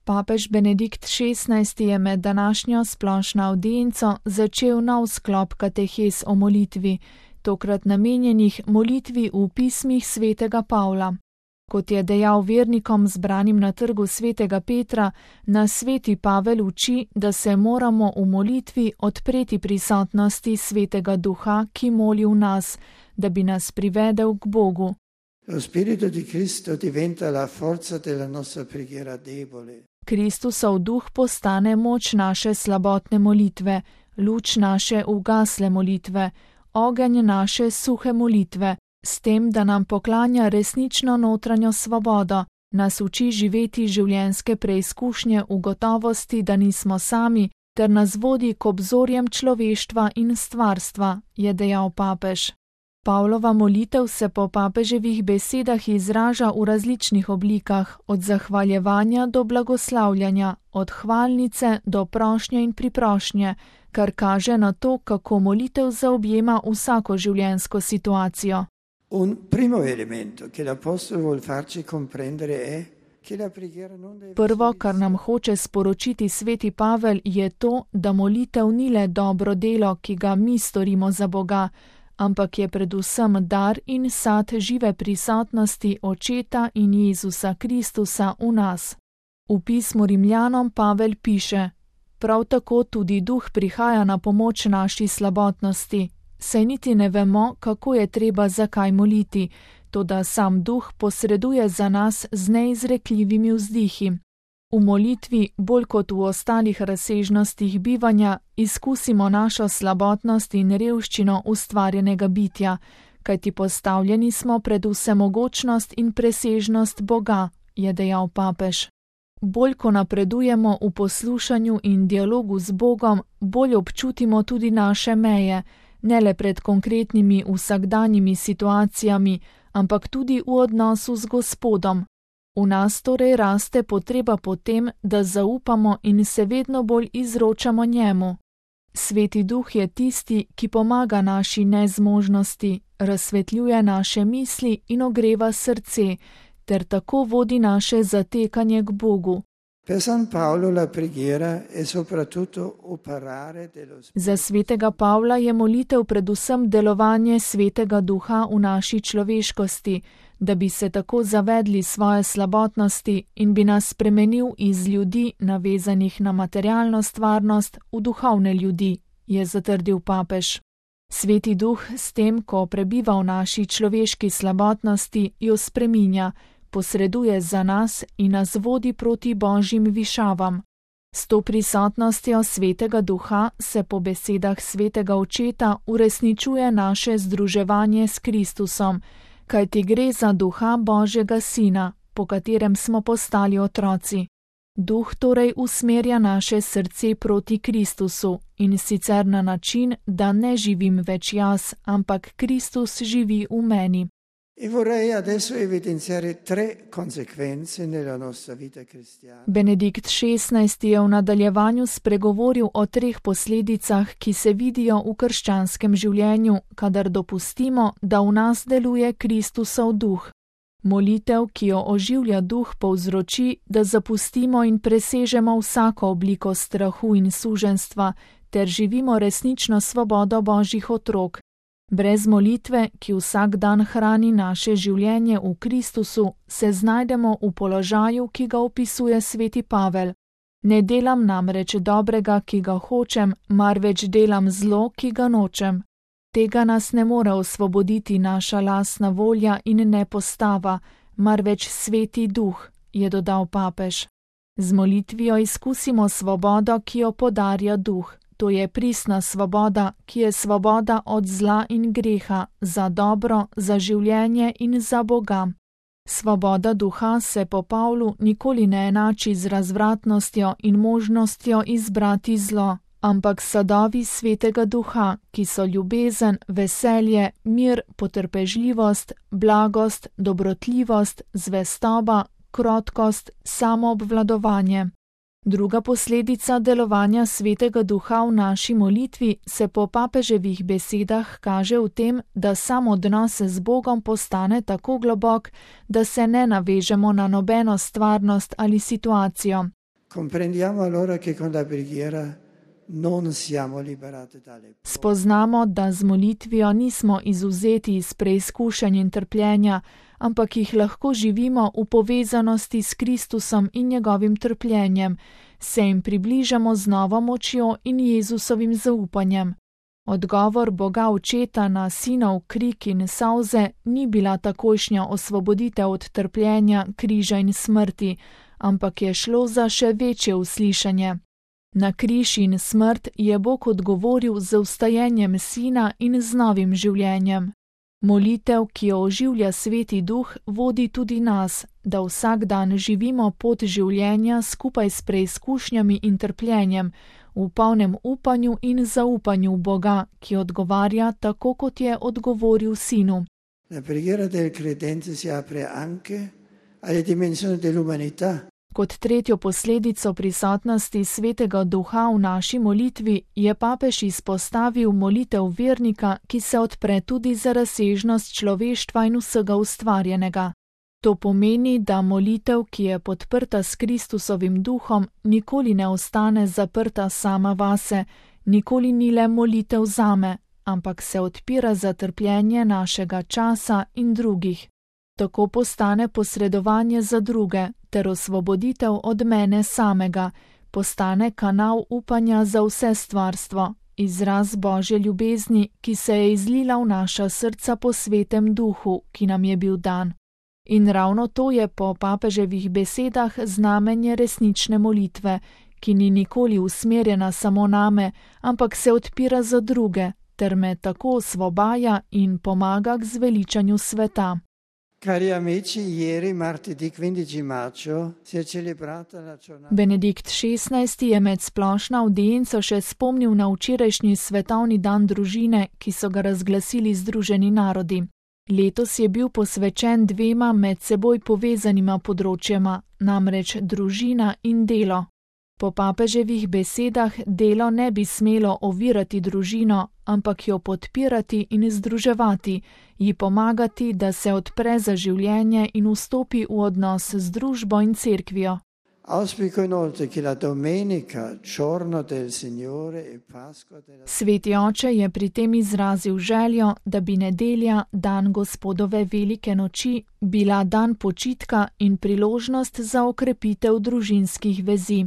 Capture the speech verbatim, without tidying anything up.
Papež Benedikt šestnajsti je med današnjo splošno avdienco začel nov sklop katehes o molitvi, tokrat namenjenih molitvi v pismih svetega Pavla. Kot je dejal vernikom zbranim na trgu svetega Petra, nas sveti Pavel uči, da se moramo v molitvi odpreti prisotnosti svetega duha, ki moli v nas, da bi nas privedel k Bogu. Lo Spirito di Cristo diventa la forza della nostra preghiera debole. Kristusov duh postane moč naše slabotne molitve, luč naše ugasle molitve, ogenj naše suhe molitve, s tem, da nam poklanja resnično notranjo svobodo, nas uči živeti življenjske preizkušnje v gotovosti, da nismo sami, ter nas vodi k obzorjem človeštva in stvarstva, je dejal papež. Pavlova molitev se po papeževih besedah izraža v različnih oblikah, od zahvaljevanja do blagoslavljanja, od hvalnice do prošnje in priprošnje, kar kaže na to, kako molitev zaobjema vsako življenjsko situacijo. Un primo elemento che l'apostolo vuol farci comprendere è che la preghiera non deve Prvo, kar nam hoče sporočiti sveti Pavel, je to, da molitev ni le dobro delo, ki ga mi storimo za Boga, ampak je predvsem dar in sad žive prisotnosti Očeta in Jezusa Kristusa v nas. V pismu Rimljanom Pavel piše: prav tako tudi duh prihaja na pomoč naši slabotnosti, saj niti ne vemo, kako je treba zakaj moliti, toda sam duh posreduje za nas z neizrekljivimi vzdihi. V molitvi, bolj kot v ostalih razsežnostih bivanja, izkusimo našo slabotnost in revščino ustvarjenega bitja, kajti postavljeni smo pred vsemogočnost in presežnost Boga, je dejal papež. Bolj ko napredujemo v poslušanju in dialogu z Bogom, bolj občutimo tudi naše meje, ne le pred konkretnimi vsakdanjimi situacijami, ampak tudi v odnosu z Gospodom. V nas torej raste potreba po tem, da zaupamo in se vedno bolj izročamo njemu. Sveti duh je tisti, ki pomaga naši nezmožnosti, razsvetljuje naše misli in ogreva srce, ter tako vodi naše zatekanje k Bogu. Per San Paolo la preghiera è soprattutto operare dello Spirito. Za svetega Pavla je molitev predvsem delovanje svetega duha v naši človeškosti, da bi se tako zavedli svoje slabotnosti in bi nas spremenil iz ljudi, navezanih na materialno stvarnost, v duhovne ljudi, je zatrdil papež. Sveti duh s tem, ko prebiva v naši človeški slabotnosti, jo spreminja, posreduje za nas in nas vodi proti božjim višavam. S to prisotnostjo svetega duha se po besedah svetega Očeta uresničuje naše združevanje s Kristusom, kajti gre za duha Božjega Sina, po katerem smo postali otroci. Duh torej usmerja naše srce proti Kristusu in sicer na način, da ne živim več jaz, ampak Kristus živi v meni. E vorrei adesso evidenziare tre conseguenze nella nostra vita cristiana. Benedikt šestnajsti je v nadaljevanju spregovoril o treh posledicah, ki se vidijo v krščanskem življenju, kadar dopustimo, da v nas deluje Kristusov duh. Molitev, ki jo oživlja duh, povzroči, da zapustimo in presežemo vsako obliko strahu in suženjstva, ter živimo resnično svobodo Božjih otrok. Brez molitve, ki vsak dan hrani naše življenje v Kristusu, se znajdemo v položaju, ki ga opisuje sveti Pavel. Ne delam namreč dobrega, ki ga hočem, marveč delam zlo, ki ga nočem. Tega nas ne more osvoboditi naša lastna volja in ne postava, marveč sveti duh, je dodal papež. Z molitvijo izkusimo svobodo, ki jo podarja duh. To je pristna svoboda, ki je svoboda od zla in greha, za dobro, za življenje in za Boga. Svoboda duha se po Pavlu nikoli ne enači z razvratnostjo in možnostjo izbrati zlo, ampak sadovi svetega duha, ki so ljubezen, veselje, mir, potrpežljivost, blagost, dobrotljivost, zvestoba, krotkost, samoobvladovanje. Druga posledica delovanja svetega duha v naši molitvi se po papeževih besedah kaže v tem, da sam odnos z Bogom postane tako globok, da se ne navežemo na nobeno stvarnost ali situacijo. Comprendiamo allora che con la preghiera non siamo liberati dalle. Spoznamo, da z molitvijo nismo izvzeti iz preizkušenj in trpljenja, ampak jih lahko živimo v povezanosti s Kristusom in njegovim trpljenjem, se jim približamo z novo močjo in Jezusovim zaupanjem. Odgovor Boga Očeta na sinov krik in solze ni bila takojšnja osvoboditev od trpljenja, križa in smrti, ampak je šlo za še večje uslišanje. Na križ in smrt je Bog odgovoril z vstajenjem sina in z novim življenjem. Molitev, ki jo oživlja Sveti Duh, vodi tudi nas, da vsak dan živimo pot življenja skupaj s preizkušnjami in trpljenjem, v polnem upanju in zaupanju v Boga, ki odgovarja tako, kot je odgovoril sinu. La preghiera del credente si apre anche alle dimensioni dell'umanità. Kot tretjo posledico prisotnosti Svetega Duha v naši molitvi je papež izpostavil molitev vernika, ki se odpre tudi za razsežnost človeštva in vsega ustvarjenega. To pomeni, da molitev, ki je podprta s Kristusovim duhom, nikoli ne ostane zaprta sama vase, nikoli ni le molitev zame, ampak se odpira za trpljenje našega časa in drugih. Tako postane posredovanje za druge ter osvoboditev od mene samega, postane kanal upanja za vse stvarstvo, izraz Božje ljubezni, ki se je izlila v naša srca po Svetem Duhu, ki nam je bil dan. In ravno to je po papeževih besedah znamenje resnične molitve, ki ni nikoli usmerjena samo name, ampak se odpira za druge, ter me tako osvobaja in pomaga k zveličanju sveta. Cari amici, ieri martedì quindici maggio si è celebrata la giornata. Benedikt šestnajsti je med splošno avdienco še spomnil na včerajšnji svetovni dan družine, ki so ga razglasili Združeni narodi. Letos je bil posvečen dvema med seboj povezanima področjema, namreč družina in delo. Po papeževih besedah delo ne bi smelo ovirati družino, ampak jo podpirati in združevati, ji pomagati, da se odpre za življenje in vstopi v odnos z družbo in cerkvijo. Auspico inoltre che la domenica, giorno del Signore e Pasqua della... Sveti oče je pri tem izrazil željo, da bi nedelja, dan Gospodove velike noči, bila dan počitka in priložnost za okrepitev družinskih vezi.